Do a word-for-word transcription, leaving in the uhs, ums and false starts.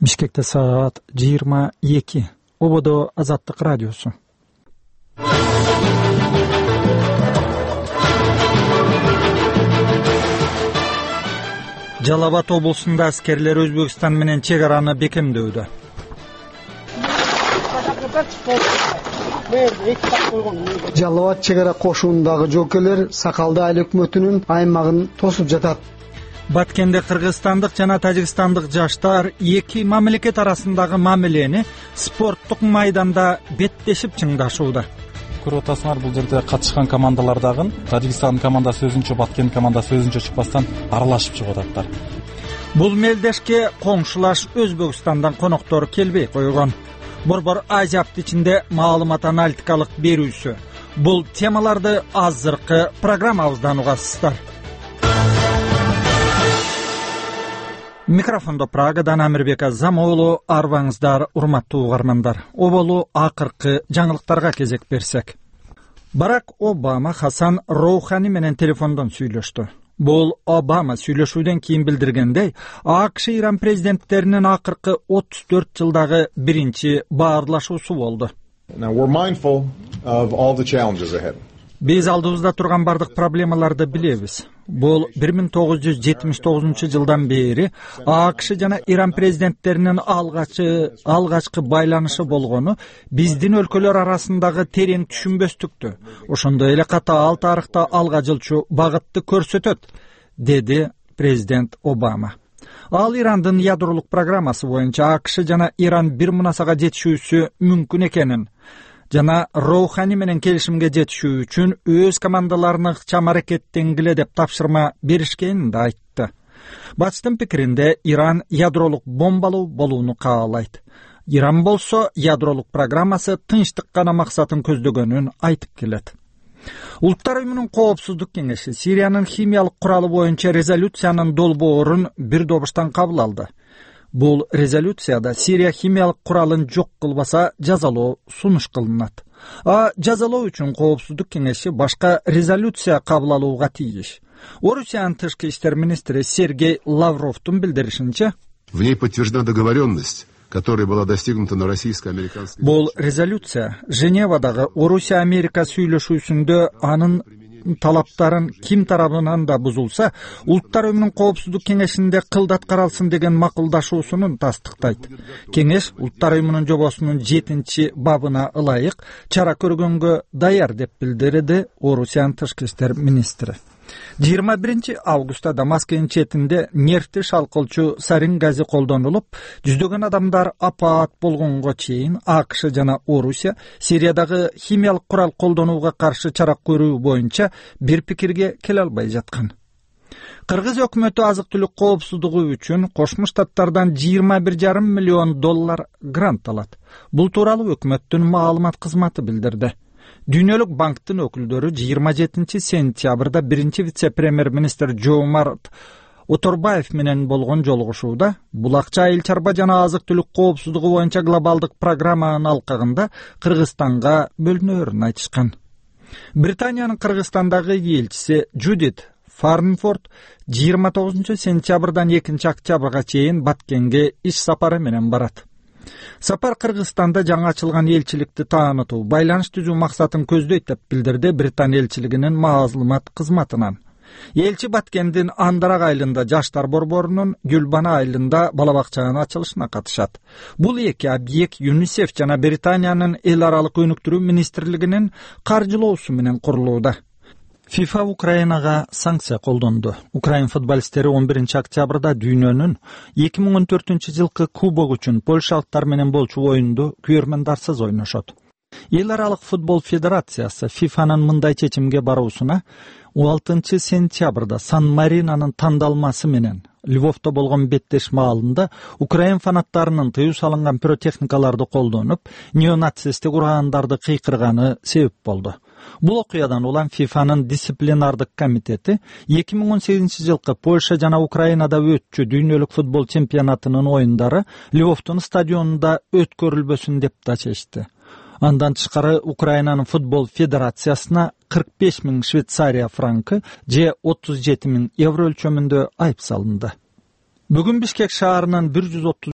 Бишкекте саат жыйырма эки. Ободо Азаттык радиосу. Жалал Абад облусунда аскерлер Өзбекстан менен чек араны бекемдөөдө. Жалал Абад чек ара кошунундагы жокерлер Сакалды айыл өкмөтүнүн аймагын тосуп жатат. Баткенде кыргызстандык жана тажикстандык жаштар эки мамлекет арасындагы мамилени спорттук майданда беттешип чыңдашууда. Көрүп атасыңар, бул жерде катышкан командалар дагы Тажикстан командасы өзүнчө, Баткен командасы өзүнчө чыкпастан аралашып чыгып ататтар. Бул мелдешке коңшулаш Өзбекстандан коноктор келбей койгон. Борбор Азияптын ичинде маалымат аналитикалык берүүсү. Бул темаларды азыркы программабыздан угасыздар. Микрофондо Прагадан Амирбек Азам уулу, арбаңыздар, урматтуу угармандар. Оболу акыркы жаңылыктарга кезек берсек. Барак Обама Хасан Роухани менен телефондон сүйлөштү. Бул Обама сүйлөшүүдөн кийин билдиргендей, АКШ Иран президенттеринин акыркы отуз төрт жылдагы биринчи баарлашуусу болду. Биз алдыбызда турган бардык проблемаларды билебиз. Бул бир миң тогуз жүз жетимиш тогузунчу жылдан бери АКШ жана Иран президенттеринин алгачы алгачкы байланышы болгону биздин өлкөлөр арасындагы терең түшүнбөстүктү, ошондой эле катаал тарыхта алга жылчу багытты көрсөтөт, деди президент Обама. Ал Ирандын ядролук программасы боюнча АКШ жана Иран бир мунасага жетишүүсү мүмкүн экенин жана Роухани менен келишимге жетишүү үчүн өз командаларына ыкчам аракеттенгиле деп тапшырма беришкенин да айтты. Батыштын пикиринде Иран ядролук бомбалуу болууну каалайт. Иран болсо ядролук программасы тынчтык гана максатын көздөгөнүн айтып келет. Улуттар уюмунун коопсуздук кеңеши Сириянын химиялык куралы боюнча резолюциянын долбоорун бир добуштан кабыл алды. Бул резолюцияда Сирия химиялык куралын жок кылбаса жазалоо сунуш кылынат. А жазалоо үчүн коопсуздук кеңеши башка резолюция кабыл алууга тийиш. Орусиянын тышкы иштер министри Сергей Лавровдун билдиришинче, в ней подтверждена договоренность, которая была достигнута на российско-американской. Бул резолюция Женевадагы Орусия-Америка сүйлөшүүсүндө анын талаптарын ким тарабынан да бузулса, Улуттар уюмунун коопсуздук кеңешинде кылдат каралсын деген макулдашуусун тастыктайт. Кеңеш Улуттар уюмунун жобосунун жетинчи бабына ылайык чара көргөнгө даяр деп билдирди Орусиянын тышкы иштер министри. жыйырма биринчи августта Дамаскенин четинде нефти шалкылчу сарин газы колдонулуп, жүздөгөн адамдар апаат болгонго чейин АКШ жана Орусия Сириядагы химиялык курал колдонууга каршы чара көрүү боюнча бир пикирге келе албай жаткан. Кыргыз өкмөтү азык-түлүк коопсуздугу үчүн Кошмо Штаттардан жыйырма бир жарым миллион доллар грант алат. Бул тууралуу өкмөттүн маалымат кызматы билдирди. Дүйнөлүк банктын өкүлдөрү жыйырма жетинчи сентябрда биринчи вице-премьер-министр Жоомарт Оторбаев менен болгон жолугушууда бул акча айыл чарба жана азык-түлүк коопсуздугу боюнча глобалдык программанын алкагында Кыргызстанга бөлүнөөрүн айтышкан. Британиянын Кыргызстандагы элчиси Джудит Фарнфорд жыйырма тогузунчу сентябрдан экинчи октябрга чейин Баткенге иш сапары менен барат. Сапар Кыргызстанда жаңы ачылган элчиликти таанытуу, байланыш түзүү максатын көздөйт деп билдирди Британия элчилигинин маалымат кызматынан. Элчи Баткендин Андарак айылында жаштар борборунун, Гүлбана айылында бала бакчанын ачылышына катышат. Бул эки объект ЮНИСЕФ жана Британиянын эл аралык өнүктүрүү министрлигинин каржылоосу менен курулууда. ФИФА Украинага санкция колдонду. Украин футболисттери он биринчи октябрда дүйнөнүн эки миң он төртүнчү жылкы кубок үчүн польшалыктар менен болчу оюнду күөрмөндарсыз ойношот. Эл аралык футбол федерациясы ФИФАнын мындай чечимге баруусуна он алтынчы сентябрда Сан-Маринонун тандалмасы менен Львовдо болгон беттеш маалында Украин фанаттарынын тыюу салынган пиротехникаларды колдонуп, неонацисттик ураандарды кыйкырганы себеп болду. Бул окуядан улам ФИФАнын дисциплинардык комитети эки миң он сегизинчи жылкы Польша жана Украинада өтчү дүйнөлүк футбол чемпионатынын оюндары Львовдун стадионунда өткөрүлбөсүн деп да чечти. Андан тышкары Украинанын футбол федерациясына кырк беш миң Швейцария франкы же отуз жети миң евро өлчөмүндө айып салынды. Бүгүн Бишкек шаарынын бир жүз отуз